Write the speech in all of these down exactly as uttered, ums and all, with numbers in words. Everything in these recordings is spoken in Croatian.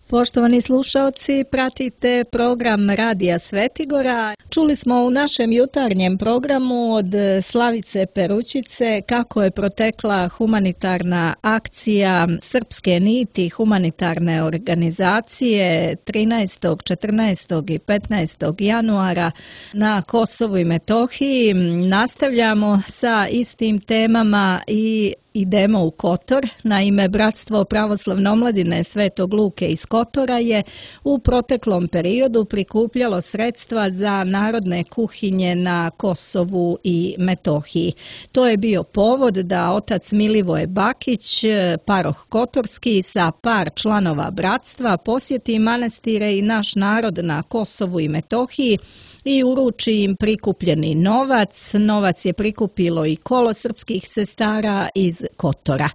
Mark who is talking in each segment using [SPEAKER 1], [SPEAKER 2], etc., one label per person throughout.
[SPEAKER 1] Poštovani slušalci, pratite program Radija Svetigora. Čuli smo u našem jutarnjem programu od Slavice Peručice kako je protekla humanitarna akcija Srpske niti humanitarne organizacije trinaestog, četrnaestog i petnaestog januara na Kosovu i Metohiji. Nastavljamo sa istim temama i idemo u Kotor. Naime, Bratstvo pravoslavne omladine Svetog Luke iz Kotora je u proteklom periodu prikupljalo sredstva za narodne kuhinje na Kosovu i Metohiji. To je bio povod da otac Milivoje Bakić, paroh Kotorski, sa par članova bratstva posjeti manastire i naš narod na Kosovu i Metohiji i uruči im prikupljeni novac. Novac je prikupilo i kolo srpskih sestara iz Kotora.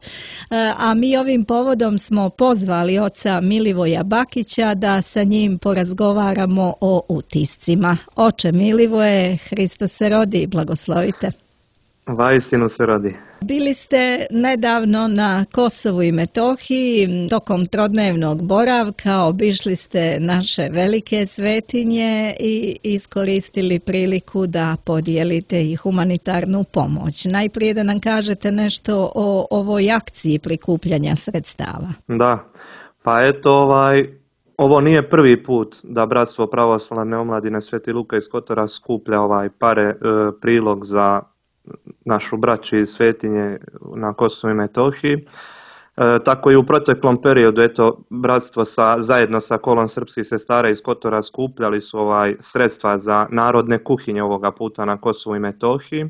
[SPEAKER 1] A mi ovim povodom smo pozvali oca Milivoja Bakića da sa njim porazgovaramo o utiscima. Oče Milivoje, Hristos se rodi, blagoslovite.
[SPEAKER 2] Vaistinu se rodi.
[SPEAKER 1] Bili ste nedavno na Kosovu i Metohiji, tokom trodnevnog boravka obišli ste naše velike svetinje i iskoristili priliku da podijelite i humanitarnu pomoć. Najprije da nam kažete nešto o ovoj akciji prikupljanja sredstava.
[SPEAKER 2] Da, pa eto ovaj, ovo nije prvi put da Bratstvo pravoslavne omladine Sveti Luka iz Kotora skuplja ovaj pare, e, prilog za našu braću iz svetinje na Kosovu i Metohiji. E, tako i u proteklom periodu, eto, bratstvo sa, zajedno sa kolom srpskih sestara iz Kotora skupljali su ovaj sredstva za narodne kuhinje ovoga puta na Kosovu i Metohiji.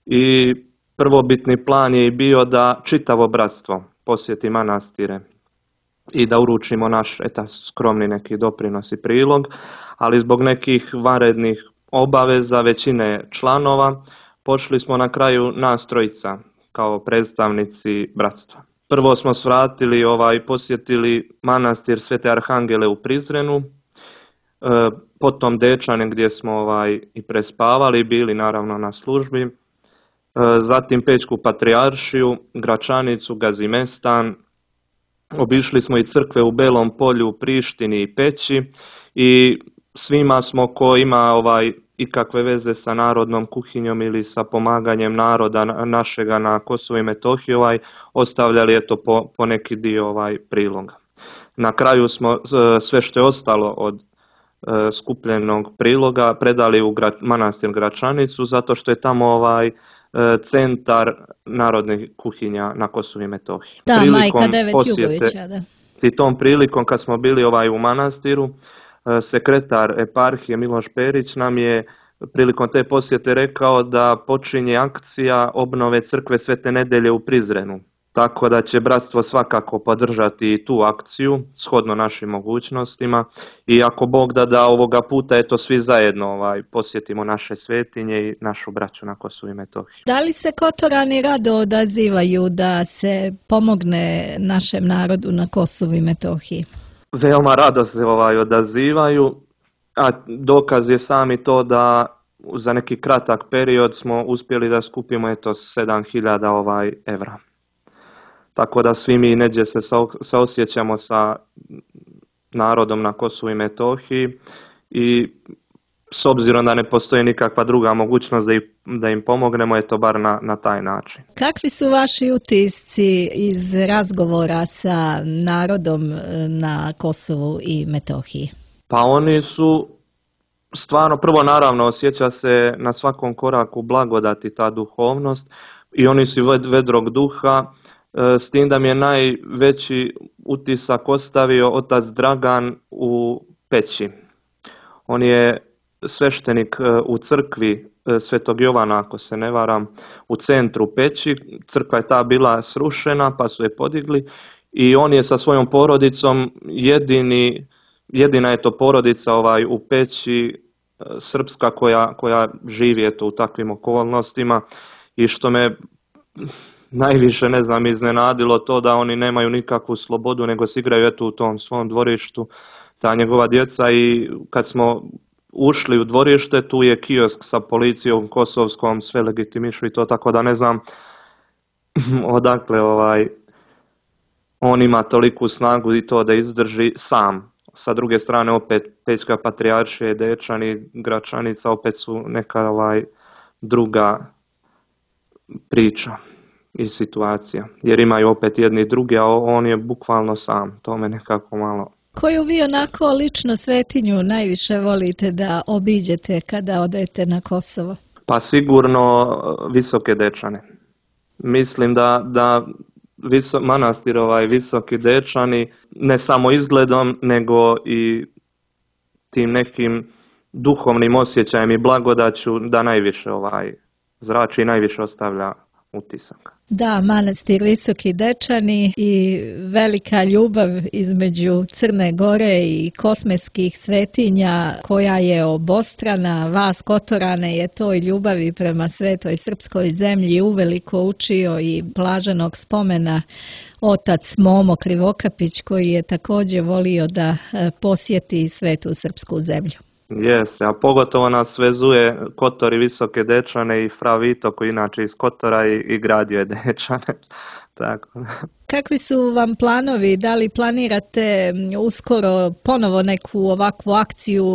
[SPEAKER 2] I prvobitni plan je bio da čitavo bratstvo posjeti manastire i da uručimo naš eta, skromni neki doprinos i prilog, ali zbog nekih vanrednih obaveza većine članova pošli smo na kraju nas trojica kao predstavnici bratstva. Prvo smo svratili, ovaj, posjetili manastir Svete Arhangele u Prizrenu, e, potom Dečane gdje smo ovaj, i prespavali, bili naravno na službi, e, zatim Pećku patrijaršiju, Gračanicu, Gazimestan, obišli smo i crkve u Belom Polju, Prištini i Peći i svima smo ko ima ovaj ikakve veze sa narodnom kuhinjom ili sa pomaganjem naroda našega na Kosovu i Metohiji ovaj, ostavljali eto po, po neki dio ovaj priloga. Na kraju smo sve što je ostalo od e, skupljenog priloga predali u gra, manastir Gračanicu zato što je tamo ovaj e, centar narodnih kuhinja na Kosovu i Metohiji.
[SPEAKER 1] Da, prilikom majka Devet Jugovića, da.
[SPEAKER 2] I tom prilikom kad smo bili ovaj u manastiru, sekretar eparhije Miloš Perić nam je prilikom te posjete rekao da počinje akcija obnove crkve Svete Nedelje u Prizrenu. Tako da će bratstvo svakako podržati i tu akciju shodno našim mogućnostima i ako Bog da da ovoga puta eto svi zajedno ovaj, posjetimo naše svetinje i našu braću na Kosovu i Metohiji.
[SPEAKER 1] Da li se Kotorani rado odazivaju da se pomogne našem narodu na Kosovu i Metohiji?
[SPEAKER 2] Veoma rado se ovaj odazivaju, a dokaz je sami to da za neki kratak period smo uspjeli da skupimo eto sedam hiljada ovaj evra. Tako da svi mi neđe se saosjećamo sa narodom na Kosovu i Metohiji i s obzirom da ne postoji nikakva druga mogućnost da, i, da im pomognemo, eto bar na, na taj način.
[SPEAKER 1] Kakvi su vaši utisci iz razgovora sa narodom na Kosovu i Metohiji?
[SPEAKER 2] Pa oni su stvarno, prvo naravno osjeća se na svakom koraku blagodati ta duhovnost i oni su vedrog duha, s tim da mi je najveći utisak ostavio otac Dragan u Peći. On je sveštenik u crkvi Svetog Jovana, ako se ne varam, u centru Peći. Crkva je ta bila srušena, pa su je podigli i on je sa svojom porodicom jedini, jedina je to porodica ovaj, u Peći srpska koja, koja živi eto, u takvim okolnostima i što me najviše, ne znam, iznenadilo to da oni nemaju nikakvu slobodu, nego se igraju eto u tom svom dvorištu, ta njegova djeca i kad smo ušli u dvorište, tu je kiosk sa policijom kosovskom, sve legitimišu i to, tako da ne znam odakle ovaj on ima toliku snagu i to da izdrži sam. Sa druge strane opet Pećka patrijaršija i Dečani, Gračanica opet su neka ovaj, druga priča i situacija. Jer imaju opet jedni i drugi, a on je bukvalno sam. To me nekako malo...
[SPEAKER 1] Koju vi onako lično svetinju najviše volite da obiđete kada odete na Kosovo?
[SPEAKER 2] Pa sigurno Visoke Dečane. Mislim da, da viso, manastir ovaj Visoki Dečani ne samo izgledom nego i tim nekim duhovnim osjećajem i blagodaću da najviše ovaj zrači i najviše ostavlja utisak.
[SPEAKER 1] Da, manastir Visoki Dečani i velika ljubav između Crne Gore i kosmetskih svetinja koja je obostrana. Vas Kotorane je toj ljubavi prema svetoj srpskoj zemlji uveliko učio i blaženog spomena otac Momo Krivokapić koji je također volio da posjeti svetu srpsku zemlju.
[SPEAKER 2] Jeste, a pogotovo nas vezuje Kotor i Visoke Dečane i fra Vito koji inače iz Kotora i, i gradio je Dečane. Tako.
[SPEAKER 1] Kakvi su vam planovi? Da li planirate uskoro ponovo neku ovakvu akciju?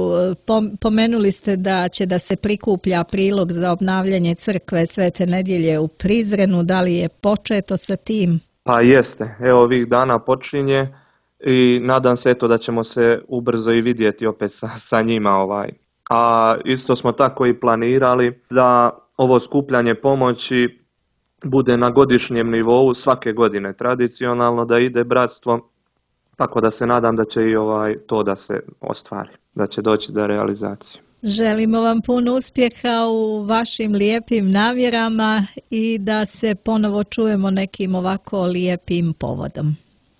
[SPEAKER 1] Pomenuli ste da će da se prikuplja prilog za obnavljanje crkve Svete Nedjelje u Prizrenu. Da li je početo sa tim?
[SPEAKER 2] Pa jeste, evo ovih dana počinje. I nadam se eto da ćemo se ubrzo i vidjeti opet sa, sa njima. Ovaj. A isto smo tako i planirali da ovo skupljanje pomoći bude na godišnjem nivou svake godine tradicionalno, da ide bratstvo, tako da se nadam da će i ovaj to da se ostvari, da će doći do realizacije.
[SPEAKER 1] Želimo vam puno uspjeha u vašim lijepim namjerama i da se ponovo čujemo nekim ovako lijepim povodom.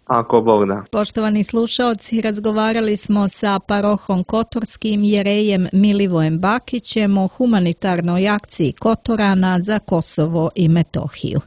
[SPEAKER 2] Ako Bog da.
[SPEAKER 1] Poštovani slušaoci, razgovarali smo sa parohom Kotorskim jerejem Milivojem Bakićem o humanitarnoj akciji Kotorana za Kosovo i Metohiju.